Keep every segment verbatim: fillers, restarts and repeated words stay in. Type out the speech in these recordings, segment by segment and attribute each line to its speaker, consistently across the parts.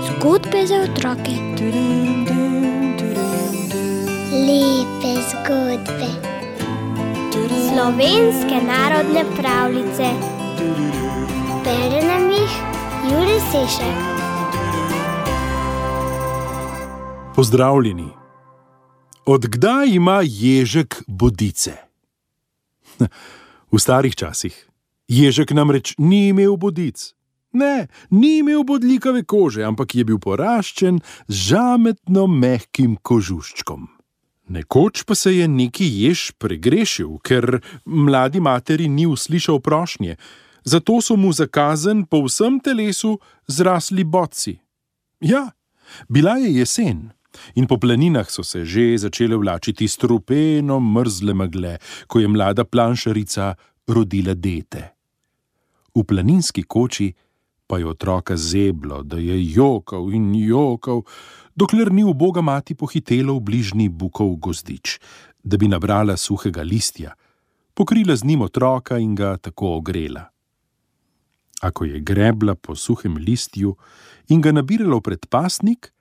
Speaker 1: Zgodbe za otroke. Lepe zgodbe. Slovenske narodne pravljice. Bere nam jih Jure Sešek.
Speaker 2: Pozdravljeni. Od kdaj ima ježek bodice? V starih časih. Ježek namreč ni imel bodic. Ne, ni imel bodljikave kože, ampak je bil poraščen z žametno mehkim kožuščkom. Nekoč pa se je neki jež pregrešil, ker mladi materi ni uslišal prošnje, zato so mu za kazen po vsem telesu zrasli bodci. Ja, bila je jesen in po planinah so se že začele vlačiti strupeno mrzle megle, ko je mlada planšarica rodila dete. V planinski koči pa je otroka zeblo, da je jokal in jokal, dokler ni uboga mati pohitela v bližnji bukov gozdič, da bi nabrala suhega listja, pokrila z njim otroka in ga tako ogrela. A ko je grebla po suhem listju in ga nabirala v predpasnik,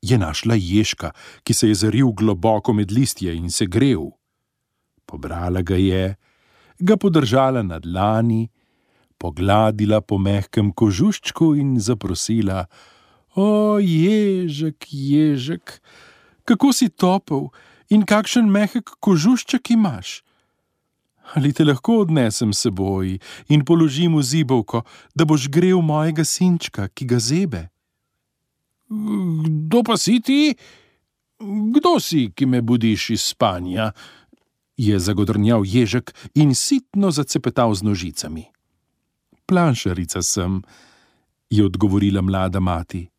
Speaker 2: je našla ježka, ki se je zaril globoko med listje in se grel. Pobrala ga je, ga podržala na dlani, pogladila po mehkem kožuščku in zaprosila: O, ježek, ježek, kako si topel in kakšen mehek kožušček imaš. Ali te lahko odnesem s seboj in položim v zibelko, da boš grel mojega sinčka, ki ga zebe? Kdo pa si ti? Kdo si, ki me budiš iz spanja? Je zagodrnjal ježek in sitno zacepetal z nožicami. Planšarica sem, je odgovorila mlada mati.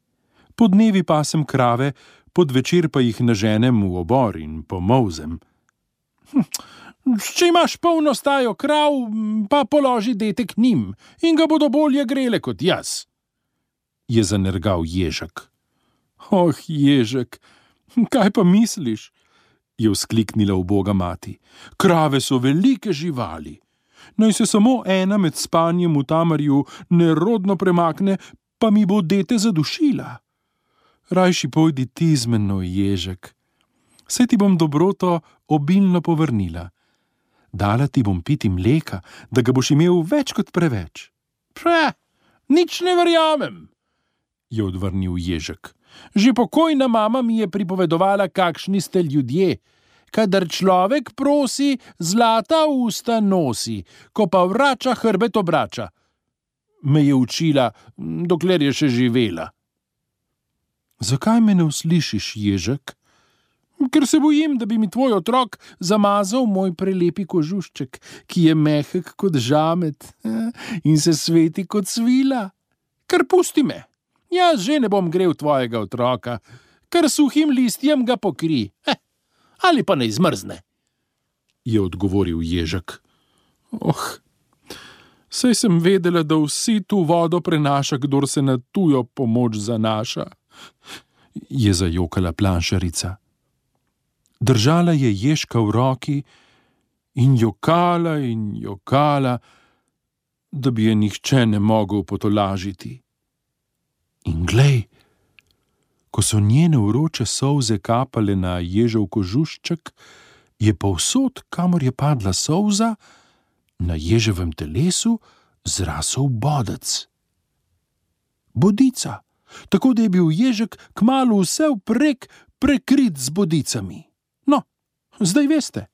Speaker 2: Podnevi pasem krave, podvečer pa jih naženem v obor in pomolzem. Hm, če imaš polno stajo krav, pa položi dete k njim in ga bodo bolje grele kot jaz, je zanergal ježek. Oh, ježek, kaj pa misliš? Je vzkliknila uboga mati. Krave so velike živali. Naj se samo ena med spanjem v tamarju nerodno premakne, pa mi bo dete zadušila. Rajši pojdi ti z menoj, ježek. Saj ti bom dobroto obilno povrnila. Dala ti bom piti mleka, da ga boš imel več kot preveč. Pre, nič ne verjamem, je odvrnil ježek. Že pokojna mama mi je pripovedovala, kakšni ste ljudje. Kadar človek prosi, zlata usta nosi, ko pa vrača, hrbet obrača. Me je učila, dokler je še živela. Zakaj me ne uslišiš, ježek? Ker se bojim, da bi mi tvoj otrok zamazal moj prelepi kožušček, ki je mehek kot žamet in se sveti kot svila. Kar pusti me, jaz že ne bom grel tvojega otroka, kar suhim listjem ga pokri. Heh. Ali pa ne izmrzne, je odgovoril ježek. Oh, saj sem vedela, da vsi tu vodo prenaša, kdor se na tujo pomoč zanaša, je zajokala planšarica. Držala je ježka v roki in jokala in jokala, da bi je nihče ne mogel potolažiti. In glej, ko so njene vroče solze kapale na ježev kožušček, je povsod, kamor je padla solza, na ježevem telesu zrasel bodec. Bodica, tako da je bil ježek kmalu vse vprek prekrit z bodicami. No, zdaj veste,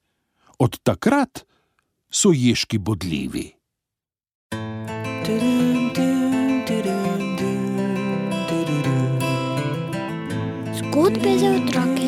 Speaker 2: od takrat so ježki bodljivi. Zgodbe za otroke.